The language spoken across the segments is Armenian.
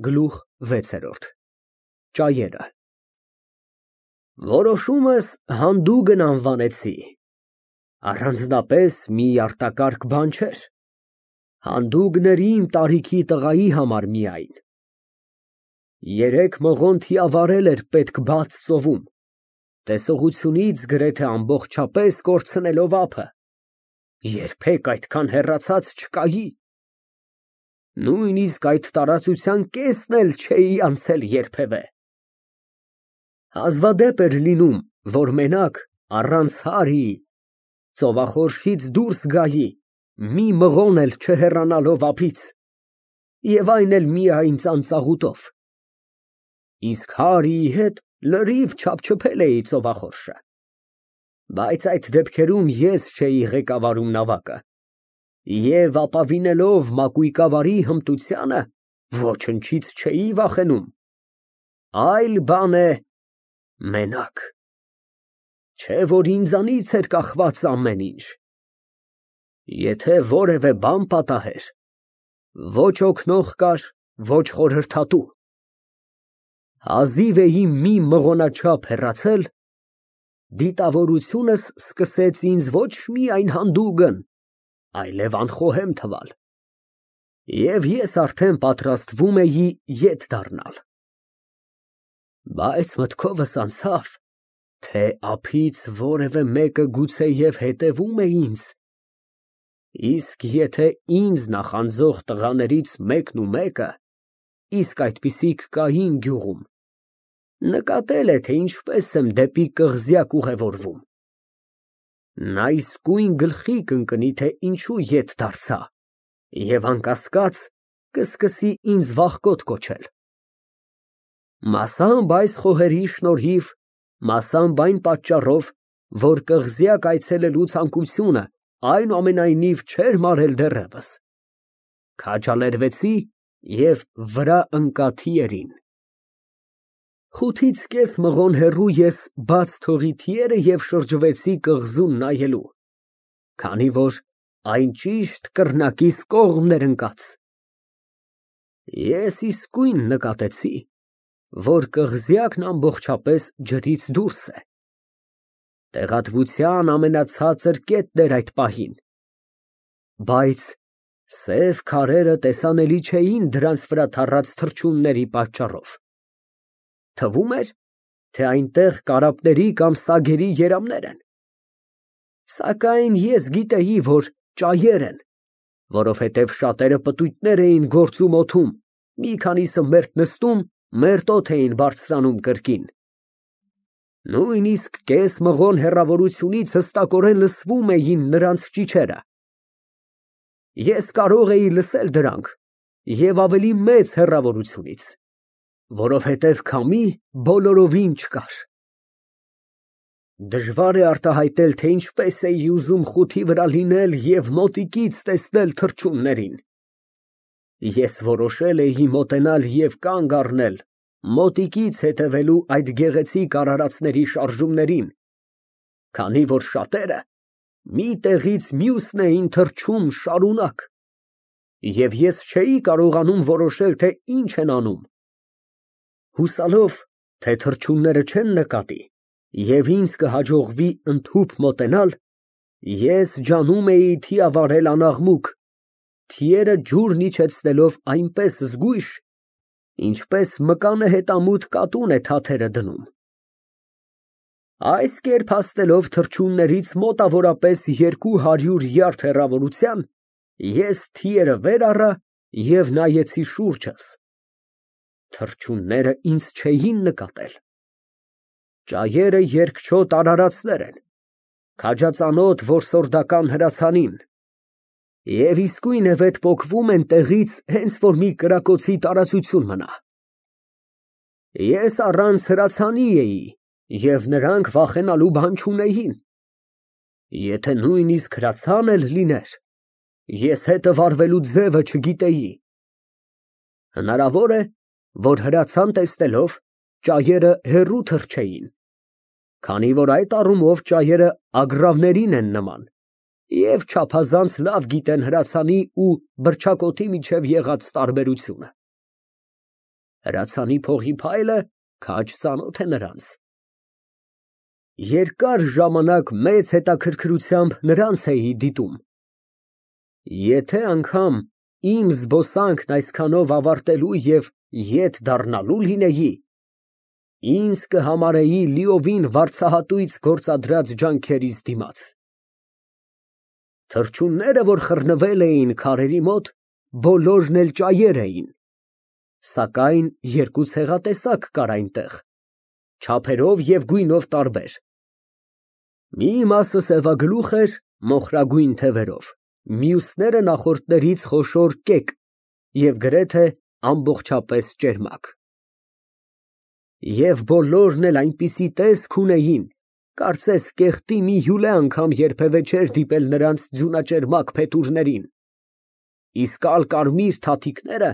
Գլուխ վեցերորդ Ճայերը Որոշումս հանդուգն անվանեցի, առանձնապես մի արտակարգ բան չէր, հանդուգն էր իմ տարիքի տղայի համար միայն, 3 մղոն թիավարել էր պետք բաց ծովում, տեսողությունից գրեթե ամբողջապես կորցնելով ափը, երբեք այդքան հեռացած չկայի, նույնիսկ այդ տարածության կեսն էլ չէի անցել երբևէ, հազվադեպ էր լինում, որ մենակ առանց հարի, ծովախորշից դուրս գայի, մի մղոն էլ չհեռանալով ափից, և այն էլ միայն ծանծաղուտով, իսկ Հարիի հետ լրիվ չափչփել էի ծովախորշը, բայց այդ դեպքերում ես չէի ղեկավարում նավակը, և ապավինելով մակույկավարի հմտությանը, ոչնչից չէի վախենում, այլ բան է մենակ, չէ որ ինձանից էր կախված ամեն ինչ, եթե որևէ բան պատահեր, ոչ օգնող կար, ոչ խորհրդատու, հազիվ էի մի մղոնաչափ հեռացել, դիտավորությունս սկսեց ինձ ոչ միայն հանդուգն, այլև անխոհեմ թվալ, և ես արդեն պատրաստվում էի ետ դառնալ, բայց մտքովս անցավ, թե ափից որևէ մեկը գուցեև հետևում է ինձ, իսկ եթե ինձ նախանձող տղաներից մեկը, իսկ այդպիսիք կային գյուղում, նկատել է, թե ինչպես եմ դեպի կղզյակ ուղևորվում, նա իսկույն գլխի կընկնի, թե ինչու ետ դարձա և անկասկած կսկսի ինձ վախկոտ կոչել, մասամբ այս խոհերի շնորհիվ, մասամբ այն պատճառով, որ կղզյակ այցելելու ցանկությունը այնուամենայնիվ չէր մարել դեռևս, քաջալերվեցի և վրա ընկա թիերին, խութից կես մղոն հեռու ես բաց թողի թիերը և շրջվեցի կղզուն նայելու, քանի որ այն ճիշտ կռնակիս կողմն էր ընկած, ես իսկույն նկատեցի, որ կղզյակն ամբողջապես ջրից դուրս է, տեղատվության ամենացածր կետն էր այդ պահին, բայց սև քարերը տեսանելի չէին դրանց վրա թառած թռչունների պատճառով, թվում էր, թե այնտեղ կարապների կամ սագերի երամներ են, սակայն ես գիտեի, որ ճայեր են, որովհետև շատերը պտույտներ էին գործում օդում, մի քանիսը մերթ նստում, մերթ օդ էին բարձրանում կրկին, նույնիսկ կես մղոն հեռավորությունից հստակորեն լսվում էին նրանց ճիչերը, ես կարող էի լսել դրանք և ավելի մեծ հեռավորությունից, որովհետև քամի բոլորովին չկար, դժվար է արտահայտել, թե ինչպես էի ուզում խութի վրա լինել և մոտիկից տեսնել թռչուններին, ես որոշել էի մոտենալ և կանգ առնել, մոտիկից հետևելու այդ գեղեցիկ արարածների շարժումներին, քանի որ շատերը մի տեղից մյուսն էին թռչում շարունակ, և ես չէի կարողանում որոշել, թե ինչ են անում, հուսալով, թե թռչունները չեն նկատի և ինձ կհաջողվի ընդհուպ մոտենալ, ես ջանում էի թիավարել անաղմուկ, թիերը ջուրն իջեցնելով այնպես զգույշ, ինչպես մկանը հետամուտ կատուն է թաթերը դնում, այս կերպ հասնելով թռչուններից մոտավորապես 200 յարդ հեռավորության, ես թիերը վեր առա և նայեցի շուրջս, թռչունները ինձ չէին նկատել, ճայերը երկչոտ արարածներ են, քաջածանոթ որսորդական հրացանին, և իսկույնևեթ պոկվում են տեղից, հենց որ մի կրակոցի տարածություն մնա, ես առանց հրացանի էի և նրանք վախենալու բան չունեին, եթե նույնիսկ հրացան էլ լիներ, ես հետը վարվելու ձևը չգիտեի, հնարավոր է, որ հրացան տեսնելով, ճայերը հեռու թռչեին, քանի որ այդ առումով ճայերը ագռավներին են նման և չափազանց լավ գիտեն հրացանի ու բռչակոթի միջև եղած տարբերությունը։ Հրացանի փողի փայլը քաջ ծանոթ է նրանց։ Երկար ժամանակ մեծ հետաքրքրությամբ նրանց էի դիտում։ Եթե անգամ իմ զբոսանքն այսքանով ավարտելու և ետ դառնալու լինեի, ինձ կհամարեի լիովին վարձահատույց գործադրած ջանքերիս դիմաց։ Թռչունները, որ խռնվել էին քարերի մոտ, բոլորն էլ ճայեր էին, սակայն երկու ցեղատեսակ կար այնտեղ, չափերով և գույնով տարբեր։ Մի մասը սևագլուխ էր մոխրագույն թևերով, մյուսները նախորդներից խոշոր կեկ և գրեթե ամբողջապես ճերմակ։ Եվ բոլորն էլ այնպիսի տեսք ունեին, կարծես կեղտի մի հյուլե անգամ երբևէ չէր դիպել նրանց ձյունաճերմակ փետուրներին, իսկ ալկարմիր թաթիկները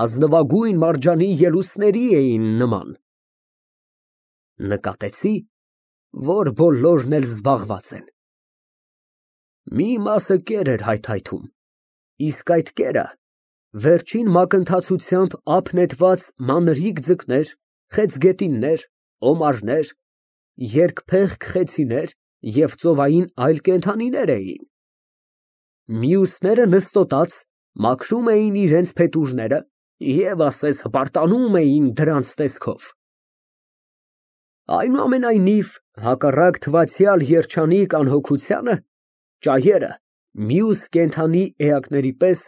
ազնվագույն մարջանի ելուստների էին նման։ Նկատեցի, որ բոլորն էլ զբաղված են։ Մի մասը կեր էր հայթայթում, իսկ այդ կերը վերջին մակընթացությամբ ափ նետված մանրիկ ձկներ, խեցգետիններ, օմարներ, երկփեղկ խեցիներ և ծովային այլ կենդանիներ էին։ Մյուսները նստոտած մաքրում էին իրենց փետուրները և ասես հպարտանում էին դրանց տեսքով։ Այնուամենայնիվ, հակառակ թվացյալ երջանիկ անհոգությանը, ճայերը մյուս կենդանի էակների պես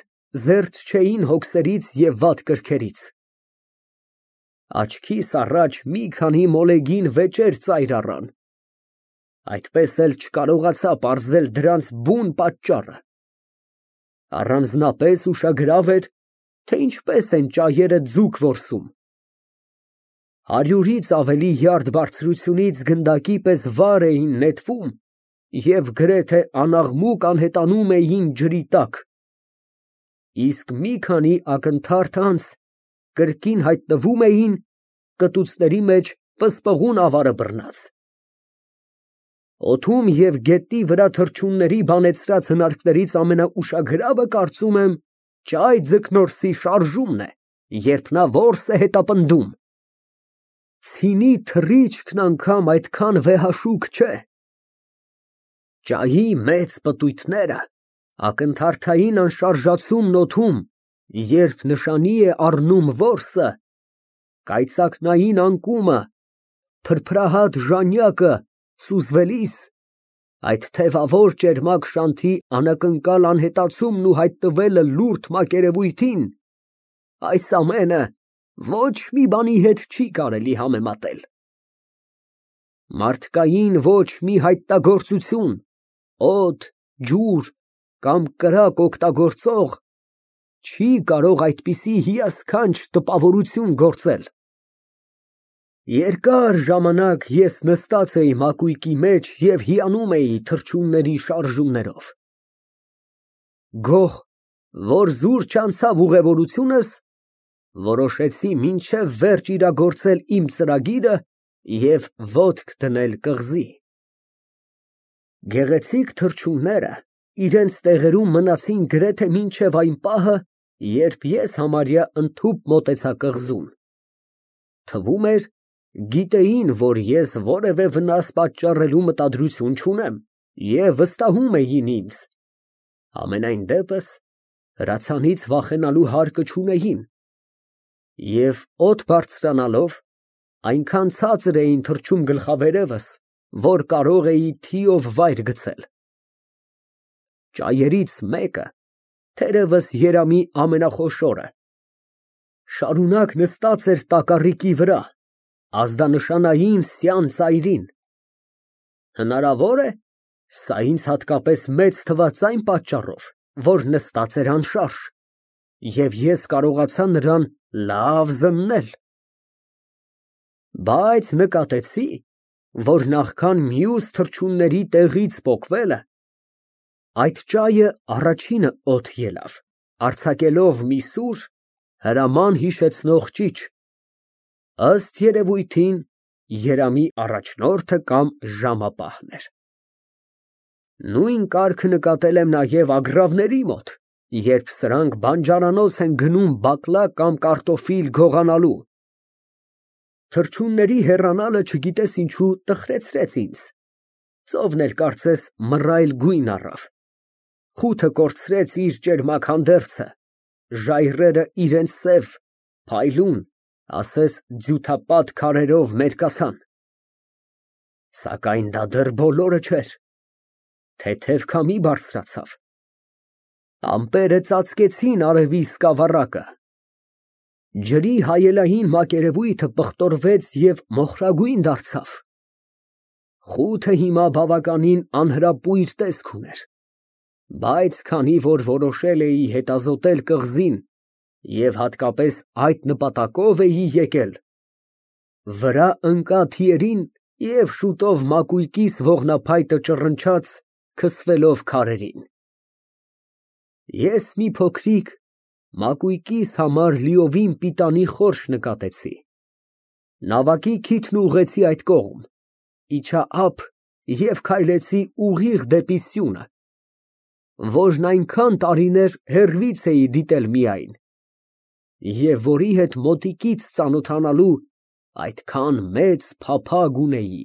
զերծ չէին հոգսերից և վատ կրքերից։ Աչքիս առաջ մի քանի մոլեգին վեճեր ծայր առան, այդպես էլ չկարողացա պարզել դրանց բուն պատճառը։ Առանձնապես ուշագրավ էր, թե ինչպես են ճայերը ձուկ որսում։ 100-ից ավելի յարդ բարձրությունից գնդակի պես վար էին նետվում և գրեթե անաղմուկ անհետանում էին ջրի տակ, իսկ մի քանի ակնթարթ անց կրկին հայտնվում էին կտուցների մեջ պսպղուն ավարը բռնած։ Օդում և գետնի վրա թռչունների բանեցրած հնարքներից ամենաուշագրավը, կարծում եմ, ճայ ձկնորսի շարժումն է, երբ նա որս է հետապնդում։ Ցինի թռիչքն անգամ այդքան վեհաշուկ չէ։ Ճայի մեծ պտույտները, ակնթարթային անշարժացումն օդում, երբ նշանի է առնում որսը, կայծակնային անկումը, փրփրահատ ժանյակը սուզվելիս, այդ թևավոր ճերմակ շանթի անակնկալ անհետացումն ու հայտնվելը լուրջ մակերևույթին, այս ամենը ոչ մի բանի հետ չի կարելի համեմատել։ Մարդկային ոչ մի հայտնագործություն, օդ, ջուր կամ կրակ օգտագործող չի կարող այդպիսի հիասքանչ տպավորություն գործել։ Երկար ժամանակ ես նստած էի մակույկի մեջ և հիանում էի թռչունների շարժումներով։ Գոհ, որ զուր չանցավ ուղևորությունս, որոշեցի մինչև վերջ իրագործել իմ ծրագիրը և ոտք դնել կղզի։ Գեղեցիկ թռչունները իրենց տեղերում մնացին գրեթե մինչև այն պահը, երբ ես համարյա ընդհուպ մոտեցա կղզուն։ Թվում էր, գիտեին, որ ես որևէ վնաս պատճառելու մտադրություն չունեմ և վստահում էին ինձ, համենայն դեպս հրացանից վախենալու հարկը չունեին, և օդ բարձրանալով այնքան ցածր էին թռչում գլխավերևս, որ կարող էի թիով վայր գցել։ Ճայերից մեկը, թերևս երամի ամենախոշորը, շարունակ նստած էր տակառիկի վրա, ազդանշանային սյան ծայրին։ Հնարավոր է, սա ինձ հատկապես մեծ թվաց այն պատճառով, որ նստած էր անշարժ, և ես կարողացա նրան լավ զննել։ Բայց նկատեցի, որ նախքան մյուս թռչունների տեղից պոկվելը, այդ ճայը առաջինը օդ ելավ, արձակելով մի սուր, հրաման հիշեցնող ճիչ, ըստ երևույթին, երամի առաջնորդը կամ ժամապահն էր։ Նույն կարգը նկատել եմ նաև ագռավների մոտ, երբ սրանք բանջարանոց են գնում բակլա կամ կարտոֆիլ գողանալու։ Թռչունների հեռանալը չգիտես ինչու տխրեցրեց ինձ, ծովն էլ կարծես մռայլ գույն առավ, խութը կորցրեց իր ճերմակ հանդերձը, ժայռերը իրենց սև, փայլուն, ասես ձյութապատ քարերով մերկացան, սակայն դա դեռ բոլորը չէր, թեթև քամի բարձրացավ, ամպերը ծածկեցին արևի սկավառակը, ջրի հայելային մակերևույթը պղտորվեց և մոխրագույն դարձավ, խութը հիմա բավականին անհրապույր տեսք ուներ, բայց քանի որ որոշել էի հետազոտել կղզին և հատկապես այդ նպատակով էի եկել, վրա ընկա թիերին և շուտով մակույկիս ողնափայտը ճռնչաց, քսվելով քարերին, ես մի փոքրիկ մակույկիս համար լիովին պիտանի խորշ նկատեցի, նավակի քիթն ուղղեցի այդ կողմ, իջա ափ և քայլեցի ուղիղ դեպի սյունը, որն այնքան տարիներ հեռվից էի դիտել միայն, և որի հետ մոտիկից ծանոթանալու այդքան մեծ փափագ ունեի։